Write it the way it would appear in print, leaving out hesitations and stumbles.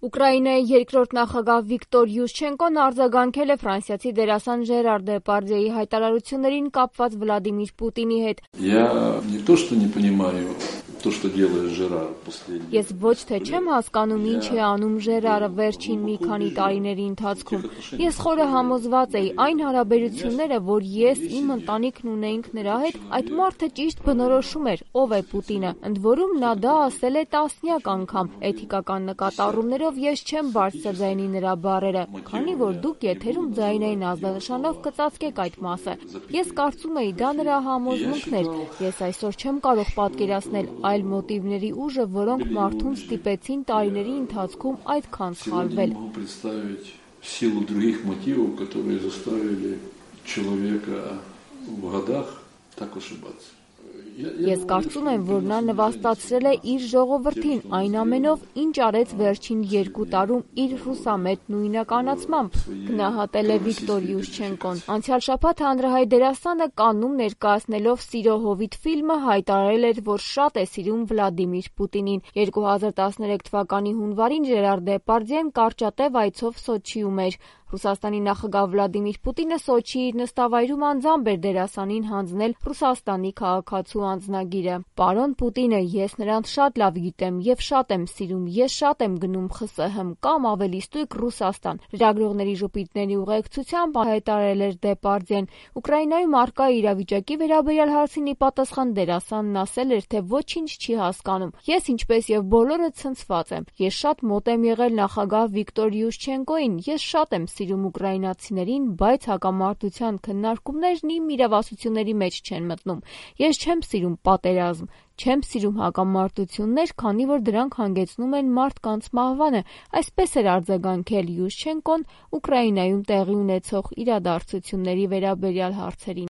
Ուկրաինայի երկրորդ նախագահ Վիկտոր Յուշչենկոն արձագանքել է ֆրանսիացի դերասան Ժերար Դեպարդյեի հայտարարություններին կապված Վլադիմիր Պուտինի հետ։ Ես ոչ թե չեմ հասկանում, ինչ է անում Ժերարը վերջին մի քանի տարիների ընթացքում։ Ես խորը համոզված էի, այն հարաբերությունները, որ ես իմ ընտանիքն ունեինք նրա հետ, այդ մարդը ճիշտ բնորոշում էր, ով է Պուտինը։ Ընդ որում նա դա ասել է տասնյակ անգամ։ Էթիկական նկատառումներով ես չեմ բարձրաձայնի նրա բառերը, քանի որ դուք եթերում ձայնային ազդանշանով կծածկեք այդ մասը։ Ես կարծում էի դա նրա համոզմունքն էր։ Ես այսօր չեմ կարող պատկերացնել այլ մոտիվների ուժը, որոնք մարդուն ստիպեցին տարիների ընթացքում այդքան սխալվել։ Ես կարծում եմ, որ նա նվաստացրել է իր ժողովրդին այն ամենով, ինչ արեց վերջին 2 տարում իր ռուսամետ նույնականացմամբ, գնահատել է Վիկտոր Յուշչենկոն։ Անցյալ շաբաթ հանրահայտ դերասանը Կաննում ներկայացնելով «Սիրո հովիտ» ֆիլմը հայտարարել էր, որ շատ է սիրում Վլադիմիր Պուտինին։ 2013 թվականի հունվարին Ժերար Դեպարդյեն կարճատև այցով Սոչիում էր։ Ռուսաստանի նախագահ Վլադիմիր Պուտինը Սոչիի իր նստավայրում անձամբ էր դերասանին հանձնել Ռուսաստանի քաղաքացու անձնագիրը։ «Պարոն Պուտինը, ես նրան շատ լավ գիտեմ և շատ եմ սիրում, ես շատ եմ գնում ԽՍՀՄ կամ ավելի ստույգ Ռուսաստան», լրագրողների ժպիտների ուղեկցությամբ հայտարարել էր Դեպարդյեն։ Ուկրաինայում առկա իրավիճակի վերաբերյալ հարցին ի պատասխան դերասանն ասել էր, թե ոչինչ չի հասկանում։ Ես ինչպես եւ բոլորը ցնցված եմ։ Ես շատ մոտ եմ եղել նախագահ Վիկտոր Յուշչենկոին, ես շատ եմ սիրում ուկրաինացիներին, բայց հակամարտության քննարկումներն իմ իրավասությունների մեջ չեն մտնում։ Ես չեմ սիրում պատերազմ, չեմ սիրում հակամարտություններ, քանի որ դրանք հանգեցնում են մարդկանց մահվանը, այսպես էր արձագանքել Յուշչենկոն Ուկրաինայում տեղի ունեցող իրադարձությունների վերաբերյալ հարցերին։